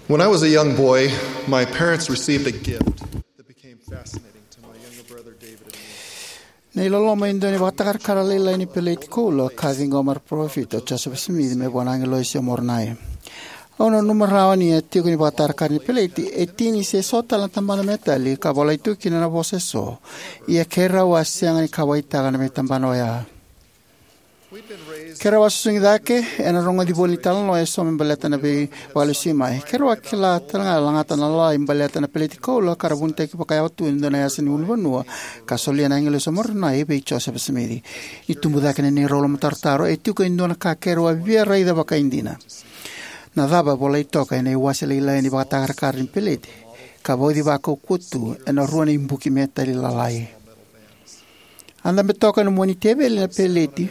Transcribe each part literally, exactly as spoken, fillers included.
When I was a young boy, my parents received a gift that became fascinating to my younger brother David and me. Na iloloma e dua na ivakatakarakara lailai ni peleti koula ka a ciqoma na Parofita o Josefa Simici mai vua na agilosi o Moronai. Au nanuma rawa ni a tiko ni vakatakarakara ni peleti e tini se so tale na tabana metali ka volai tu kina na vosa eso, ia keirau a sega ni kauwaitaka na veitabana oya. Keirau a susugi cake ena rogoci voli ni talanoa eso me baleta na veivakalesuimai mai. Keirau a kila talega e lagata na lalai baleta na peleti koula ka ra vunitaki vakayawa tu e dua na yasa ni ulunivanua ka solia na agilosi o Moronai vei Josefa Simici. Ni tubu cake na neirau lomatarotaro, e tiko e dua na ka keirau a via raica vakaidina. Na cava e volai toka ena iwase lailai ni vakatakarakara ni peleti ka vauci vakaukauwa tu ena rua na ibuki metali lalai? A dabe toka ena mua ni teveli na peleti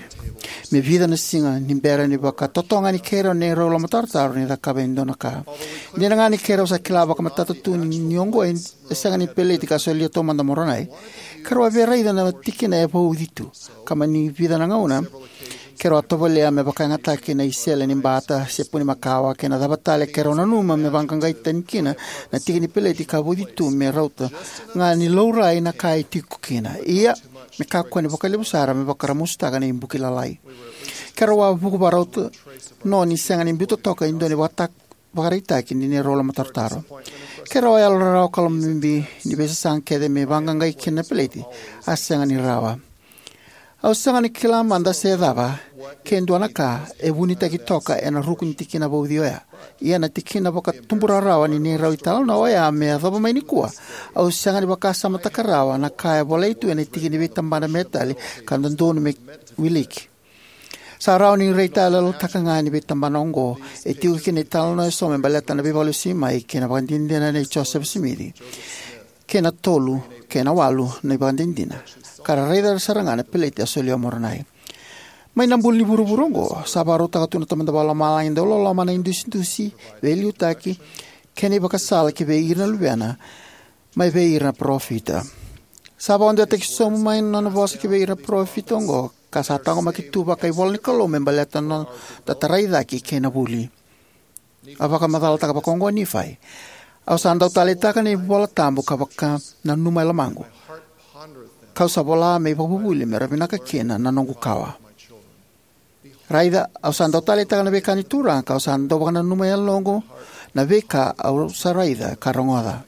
me vica na siga ni bera ni vakatotogani keirau na neirau lomatarotaro ni cakava e dua na ka. Dina ga ni keirau sa kila vakamatata tu ni, ni oqo e sega ni peleti ka solia taumada o Moronai, keirau a via raica na tikina e vauci tu, ka mai ni vica na gauna keirau a tovolea me vakayagataki na isele ni bata, sepuni makawa, kei na cava tale keirau nanuma me vaqaqai tani kina na tiki ni peleti ka vauci tu me rauta ga ni laurai na ka e tiko kina, ia me kakua ni vakalevu sara me vakaramusutaka na ibuki lalai. Keirau a vuku vakarauta, no ni sega ni biuta toka e dua na ivakata-, vakaraitaki ni neirau lomatarotaro. Keirau a yalorarawa ka lomabibi ni veisasaga kece me vaqaqai kina na peleti a sega ni rawa. Au sega ni kila mada se cava ke dua na ka e vunitaki toka ena ruku ni tikina vauci oya. Ia na tikina vakatuburarawa ni neirau italanoa oya me yacova mai nikua, au sega ni vakasamataka rawa na ka e volai tu ena tiki ni veitabana metali ka dodonu me wiliki. Sa rawa ni raitayaloyalotaka ga ni veitabana oqo e tiko kina italanoa eso me baleta na veivakalesuimai kei na ivakadinadina nei Josefa Simici, kei na tolu kei na walu na ivakadinadina, ka ra raica sara ga na peleti a solia o Moronai. Mai na buli ni vuravura oqo, sa vakarautaka tu na Tamada Vakalomalagi dau loloma na idusidusi, veiliutaki, kei na ivakasala ki vei ira na luvena, mai vei ira na parofita. Sa vakadewataki sobu mai na nona vosa ki vei ira na parofita oqo, ka sa taqomaki tu vakaivola ni Kalou me baleta na noda tarai cake kei na vuli. A vakamacalataka vakaoqo o Nifai: Au sa dau taleitaka na ivola tabu ka vakananuma e lomaqu, kau sa vola me ivakavuvuli me ra vinaka kina na noqu kawa. Raica, au sa dau taleitaka na veika ni Turaga, kau sa dau vakananuma e yaloqu na veika au sa raica ka rogoca.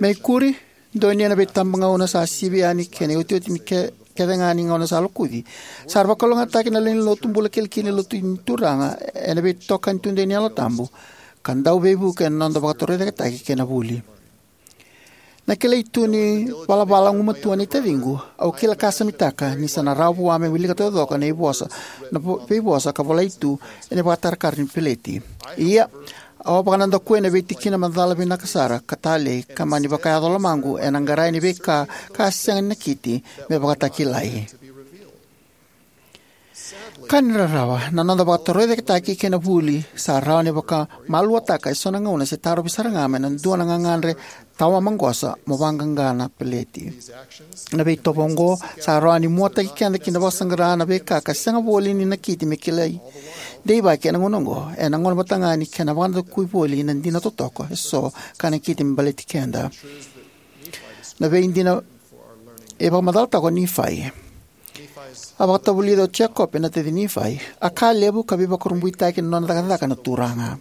Me ikuri, donuya na veitabagauna sa sivi yani kei na iotioti ni ke-, kece ga ni gauna sa lokuci, sa ra vakalougatataki na lewe ni lotu bula kilikili ni Lotu ni Turaga ena veitokani tudei ni Yalo Tabu, ka dau veivuke ena noda vakatorocaketaki kei na vuli. Na kilai tu ni valavala gumatua nei taciqu, au kila ka samitaka ni sa na rawa vua me wilika taucoko na ivosa, na vo-, veivosa ka volai tu ena ivakatakarakara ni peleti. Ia, au a vakanadakuya na veitikina macala vinaka sara ka talei ka mani vakayaco lomaqu ena qarai ni veika ka sega ni nakiti me vakatakilai. Ka ni rarawa, na noda vakatorocaketaki kei na vuli sa rawa ni vakamaluataka eso na gauna se tarovi sara ga mai na dua na gagadre tawamaqosa mo vaqaqa na peleti. Na veitovo oqo sa rawa ni muataki keda ki na vakasaqara na veika ka sega voli ni nakiti me kilai deivaki ena gauna oqo, ena gauna vata ga ni kena vakadakui voli na dina totoka eso ka nakiti me baleti keda. Na veidina e vakamacalataka o Nifai. A vakatavulica o Jekope na taci Nifai, a ka levu ka veivakurabuitaki na nona cakacaka na Turaga.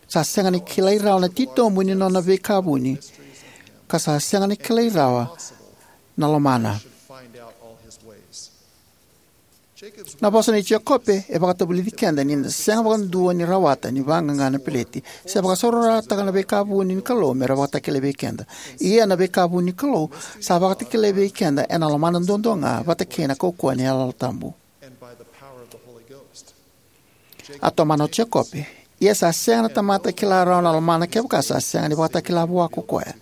Sa sega ni kilai rawa na titobu ni nona veika vuni, ka sa sega ni kilai rawa na lomana. Na vosa nei Jekope e vakatavulici keda ni da sega vakadua ni rawata ni vaqaqa na peleti se vakasaurarataka na veika vuni ni Kalou me ra vakatakilai vei keda. Ia na veika vuni ni Kalou sa vakatakilai vei keda ena lomana duadua ga vata kei na kaukauwa ni Yalo Tabu. A tomana o Jekope: Ia sa sega na tamata e kila rawa na lomana kevaka sa sega ni vakatakila vua ko koya.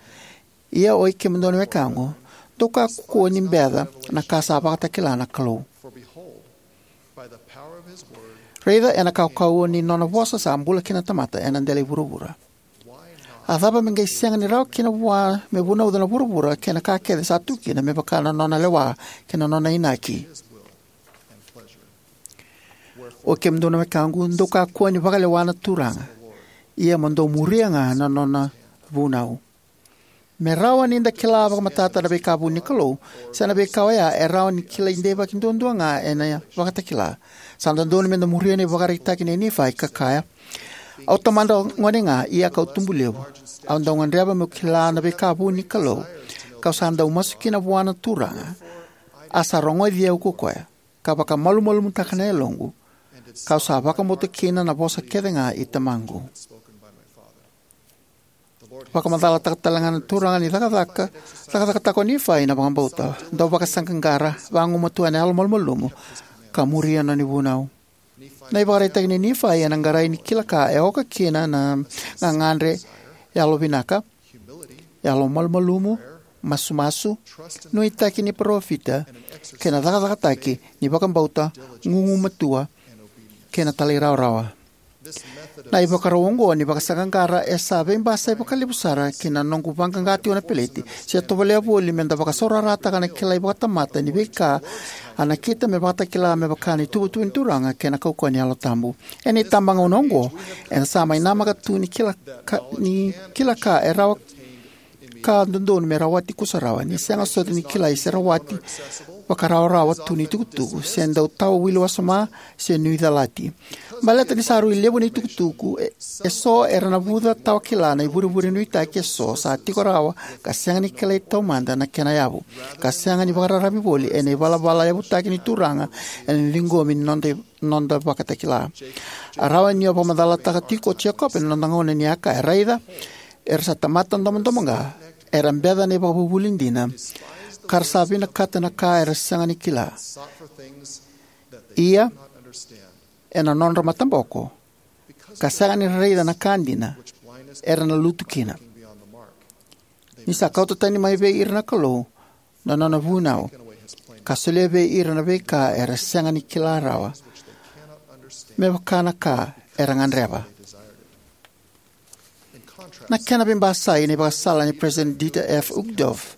Ia oi kemudou na wekaqu, dou kakua ni beca na ka sa vakatakila na Kalou. Raica, ena kaukauwa ni nona vosa sa bula kina na tamata ena dela i vuravura. A cava me qai sega ni rawa kina vua me vunauca na vuravura kei na ka kece sa tu kina me vaka na nona lewa kei na nona inaki? O kemudou na wekaqu, dou kakua ni vakalewa na Turaga, ia mo dou muria ga na nona vunau. Me rawa ni da kila vakamatata na veika vuni ni Kalou, se na veika oya e rawa ni kilai deivaki duadua ga ena Vakatakila. Sa dodonu me da muria na ivakaraitaki nei Nifai ka kaya: Au tamata gone ga, ia kau tubu levu. Au dau gadreva meu kila na veika vuni ni Kalou, kau sa dau masu kina vua na Turaga, a sa rogoci au ko koya, ka vakamalumalumutaka na yaloqu, kau sa vakabauta kina na vosa kece ga i tamaqu. Vakamacalataka tale ga na Turaga ni cakacaka, cakacakataka o Nifai na vakabauta, dau vakasaqaqara, vagumatua ena yalo malumalumu, ka muria na nona vunau. Na ivakaraitaki nei Nifai ena qarai ni kila ka e oka kina na gagadre, yalovinaka, yalo malumalumu, masumasu, nuitaki ni parofita, kei na cakacakataki ni vakabauta, gugumatua, kei na talairawarawa. Na ivakarau oqo ni vakasaqaqara e sa veibasai vakalevu sara ki na noqu vaqaqa tiko na peleti, se tovolea voli me da vakasaurarataka na kilai vakatamata ni veika a nakita me vakatakila me vaka na ituvatuva ni Turaga kei na kaukauwa ni Yalo Tabu. Ena itabagauna oqo, eda sa mai namaka tu ni kila ka, ni kila ka e rawa ka dodonu me rawati kusarawa, ni sega soti ni kilai se rawati vakarawarawa tu ni tukutuku, se dau tawa wili wasoma, se nuicalati. Baleta ni sa rui levu na itukutuku, e, eso era navuca tawa kila na ivurevure nuitaki eso sa tiko rawa, ka sega ni kilai taumada na kena yavu, ka sega ni vakararavi voli ena ivalavala yavutaki ni Turaga ena ciqomi ni noda, noda vakatakila. A rawa ni o vakamacalataka tiko o Jekope na noda gauna ni a kaya: Raica, era sa tamata domodomoqa, era beca na ivakavuvuli dina, ka ra sa vinakata na ka era sega ni kila. Ia, ena nodra mataboko, ka sega ni ra raica na ka dina, era na lutu kina. Ni sa kauta tani mai vei ira na Kalou na nona vunau, ka solia vei ira na veika era sega ni kila rawa, me vaka na ka era gadreva. Na kena veibasai na ivakasala nei President Dieter F. Uchtdorf.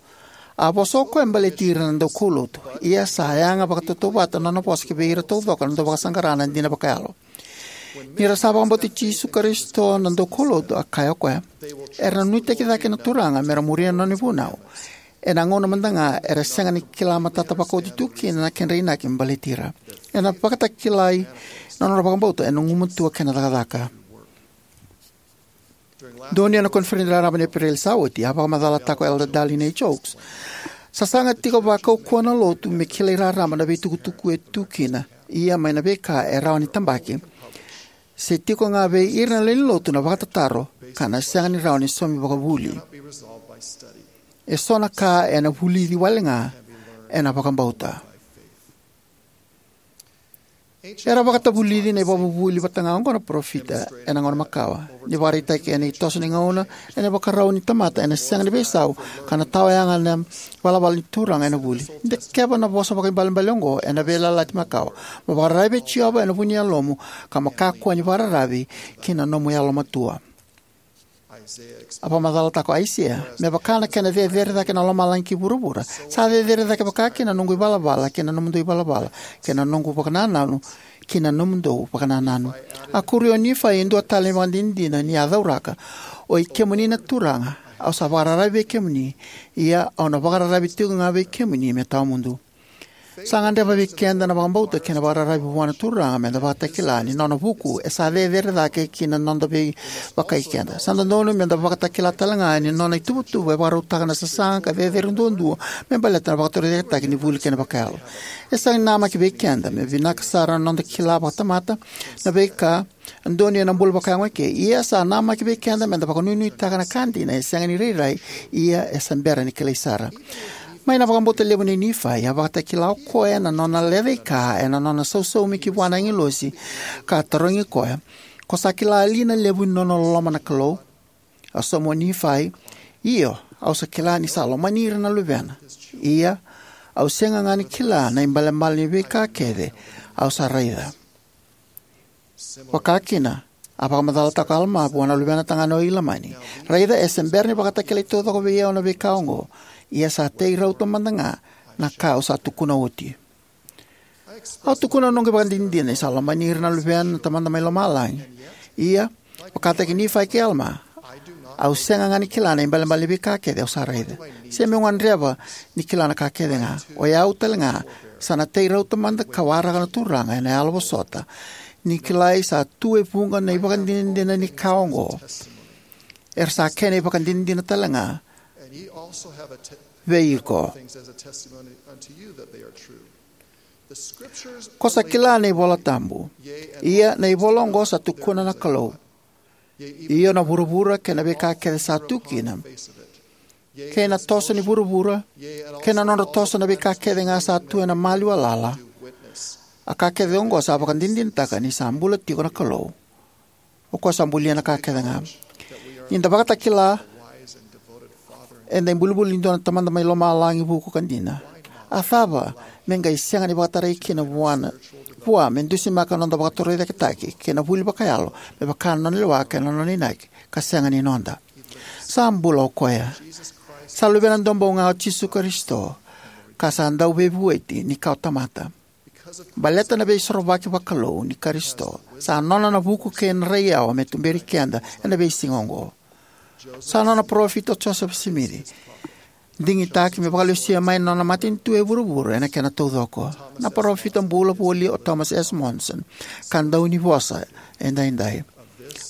A vosa o koya baleti ira na daukaulotu, ia sa yaga vakatautauvata na nona vosa ki vei ira taucoko na dauvakasaqara na dina vakayalo. Ni ra sa vakabauti Jisu Karisito na daukaulotu, a kaya o koya, era na nuitaki cake na Turaga me ra muria na nona vunau, ena gauna mada ga era sega ni kila matata vakaoti tu kina na kedra inaki me baleti ira. Ena vakatakilai na nodra vakabauta ena gugumatua kei na cakacaka. Donuya na koniferedi raraba ni Epereli sa oti, a vakamacalataka o Elder Dallin H. Oaks: Sasaga tiko vakaukauwa na lotu me kilai raraba na veitukutuku e tu kina, ia mai na veika e rawa ni tabaki, se tiko ga vei ira na lewe ni lotu na vakatataro, ka na sega ni rawa ni saumi vakavuli. Eso na ka ena vulici wale ga ena vakabauta. Era vakatavulici na ivakavuvuli vata ga oqo na parofita ena gauna makawa. Ni vakaraitaki ena itoso ni gauna ena ivakarau ni tamata ena sega ni veisau, ka na tawayaga na ivalavala ni Turaga ena vuli. De keva na vosa vakaibalebale oqo ena Veiyalayalati Makawa: Mo vakararavi vei Jiova ena vu ni yalomu, ka mo kakua ni vakararavi ki na nomu yalomatua. A vakamacalataka o Aisea: Me vaka na kena cecere cake na lomalagi ki vuravura, sa cecere cake vakakina na noqu ivalavala ki na nomudou ivalavala, kei na noqu vakanananu ki na nomudou vakanananu. A kuria o Nifai e dua tale na ivakadinadina ni a cauraka: Oi kemuni na Turaga, au sa vakararavi vei kemuni, ia au na vakararavi tiko ga vei kemuni me tawa mudu. Sa gadreva vei keda na vakabauta kei na vakararavi vua na Turaga me da vakatakila ni nona vuku e sa cecere cake ki na noda veivakai keda. Sa dodonu me da vakatakila tale ga ni nona ituvatuva e vakarautaka na sasaga ka cecere duadua me baleta na vakatorocaketaki ni vuli kei na vakayalo. E sega ni namaki vei keda me vinaka sara na noda kila vakatamata na veika e donuya na bula vakayago eke, ia sa namaki vei keda me da vakanuinuitaka na ka dina e sega ni rairai, ia e sa bera ni kilai sara. Mai na vakabauta levu nei Nifai, a vakatakila o koya na nona lecaika ena nona sausaumi ki vua na agilosi, ka tarogi koya: Ko sa kila li na levu ni nona loloma na Kalou? A sauma o Nifai: Io, au sa kila ni sa lomani ira na luvena. Ia, au sega ga ni kila na ibalebale ni veika kece au sa raica. Vakakina, a vakamacalataka o Alama vua na luvena tagane o Ilamani: Raica, e se bera ni vakatakilai taucoko vei au na veika oqo, ia sa tei rauta mada ga na ka au sa tukuna oti. Au tukuna na noqu ivakadinadina ni sa lomani ira na luvena na Tamada mai Lomalagi. Ia, vakataki Nifai kei Alama, au sega ga ni kila na ibalebale ni veika kece au sa raica. Se meu gadreva ni kila na ka kece ga. O yau tale ga, sa na tei rauta mada ka waraka na Turaga ena yalo vosota. Ni kilai sa tu e vuqa na ivakadinadina ni ka oqo. Era sa kena ivakadinadina tale ga vei iko. Ko sa kila na iVola Tabu. Ia na ivola oqo sa tukuna na Kalou. Io na vuravura kei na veika kece sa tu kina, kei na toso ni vuravura, kei na nodra toso na veika kece ga sa tu ena maliwa lala. A ka kece oqo sa vakadinadinataka ni sa bula tiko na Kalou. O koya sa bulia na ka kece ga. Ni da vakatakila eda ibulibuli ni dua na Tamada mai Lomalagi vuku ka dina, a cava me qai sega ni vakatarai kina vua na, vua me dusimaka na noda vakatorocaketaki kei na vuli vakayalo me vaka na nona lewa kei na nona inaki, ka sega ni noda? Sa bula o koya. Sa luvena duabau ga o Jisu Karisito, ka sa dau veivueti ni kawa tamata. Baleta na veisorovaki vakalou ni Karisito, sa nona na vuku kei na raiyawa me tuberi keda ena veisiga oqo. Sa nona parofita o Josefa Simici digitaki me vakalesuya mai na nona matanitu e vuravura ena kena taucoko. Na parofita bula voli o Thomas S. Monson, ka dau ni vosa edaidai.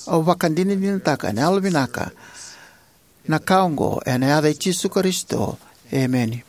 Au vakadinadinataka ena yalovinaka na ka oqo ena yaca i Jisu Karisito. Emeni.